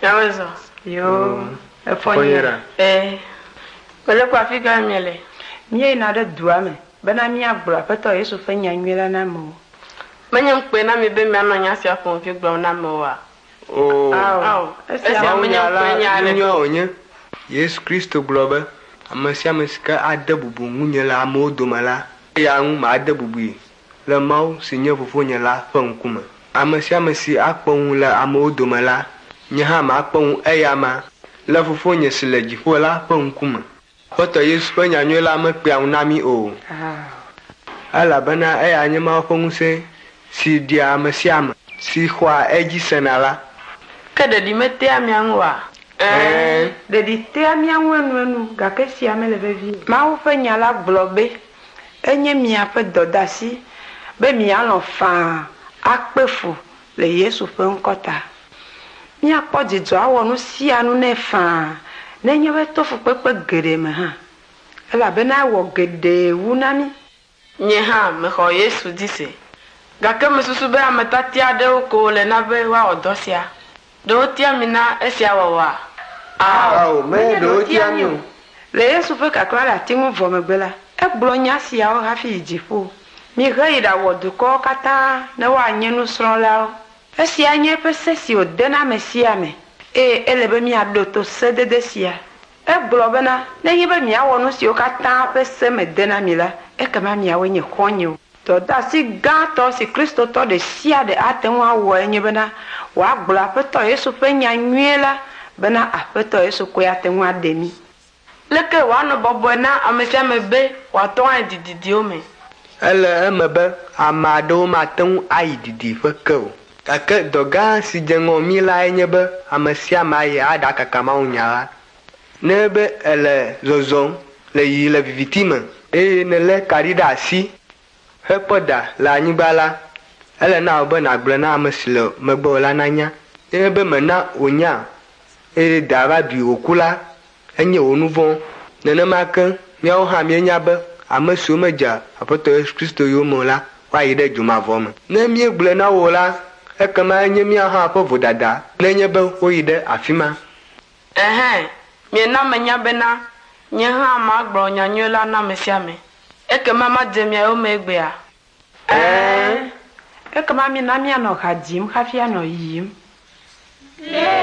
Miawoe zɔ. Yoo, efɔ Fɔ nye. nye ɖa. Ee. Mele kɔ afi ka miele? Míeyina ɖe dua me bena míagblɔ Aƒetɔ Yesu ƒe nyanyui la na amewo. Menye ŋukpe na mi be mianɔ nya sia ƒomevi gblɔm na amewoa? Oo. Ao, Ao, esia esia menye Mawunya la ŋukpe nya aɖeke. nunya wònye. Yesu Kristo gblɔ be, ame sia ame si ke ade bubu ŋunye le amewo dome la, eya ŋu made bubui le Mawu si nye fofonye la ƒe ŋkume. Ame sia ame si akpɔ ŋu le amewo dome la, nye hã makpɔ ŋu eya ma le fofonye si le dziƒo la ƒe ŋkume. Aƒetɔ Yesu ƒe nyanyui la mekpea ŋu na mí o. Ao. Elabena eya nye Mawu ƒe ŋusẽ si ɖia ame sia ame si xɔa edzi sena la. Ke ɖeɖi metea mia ŋu oa? Ɛ̃. Ɖeɖi tea mía ŋu enuenu gake esia mele vevie. Mawu ƒe nya la gblɔ be enye miaƒe dɔdeasi be mialɔ̃ faa akpe fu le Yesu ƒe ŋkɔ ta. Míakpɔ dzidzɔ awɔ nu sia nu nɛ faa nenye be to fukpekpe geɖe me hã. Elabena ewɔ geɖe wu na mí. Nye hã mexɔ Yesu dzi se. Gake mesusu be ame tati aɖewo ko wòle na be woawɔ dɔ sia. Ɖe wotia mi na esia wɔwɔa? Ao. Ao, menye ɖe wotia mí o. Le Yesu ƒe kaklã le ati ŋu vɔ megbe la, egblɔ nya siawo hafi yi dziƒo. Miheyi ɖawɔ dukɔwo katã ne woanye nusrɔ̃lawo. Esia nye eƒe se si wòde na ame sia ame eye ele be míaɖo to sedede sia. Egblɔ bena nenye be miawɔ nu siwo katã ƒe se mede na mi la, ekema miawoe nye xɔ̃nyewo. Dɔdeasi gãtɔ si Kristotɔ ɖe sia ɖe ate ŋu awɔ enye bena wòagblɔ Aƒetɔ Yesu ƒe nya nyui la bena Aƒetɔ Yesu koe ate ŋu aɖe mí. Leke wòanɔ bɔbɔe na ame sia ame be wòate ŋu ayi dididiwo me? Ele eme be ame aɖewo mate ŋu ayi didiƒe ke o. Gake dɔ gã si dze ŋgɔ mí lae nye be ame sia ame ayi aɖakaka mawunya la. Ne be èle zɔzɔm le yiyim le viviti me eye nèlé kaɖi ɖe asi hekpɔ da le anyigba la, ele na wò be nàgblɔe na ame si le megbewò la nanya. Ne be mèna wònya eye da va ɖui wòku la, enye wò nu vɔ̃. Nenema ke míawo hã míenya be ame siwo medze Aƒetɔ Yesu Kristo yome o la, woayi ɖe dzomavɔ me. Ne míegblɔe na wo la, ekema enye míawo hã ƒe vodada nenye be woyi ɖe afi ma. Ɛhɛn, miena menya bena nye hã magblɔ nyanyui la na ame sia ame. Ekema madze mia yome egbea. Ɛ̃. Ekema mina míanɔ ha dzim hafi anɔ yiyim. Le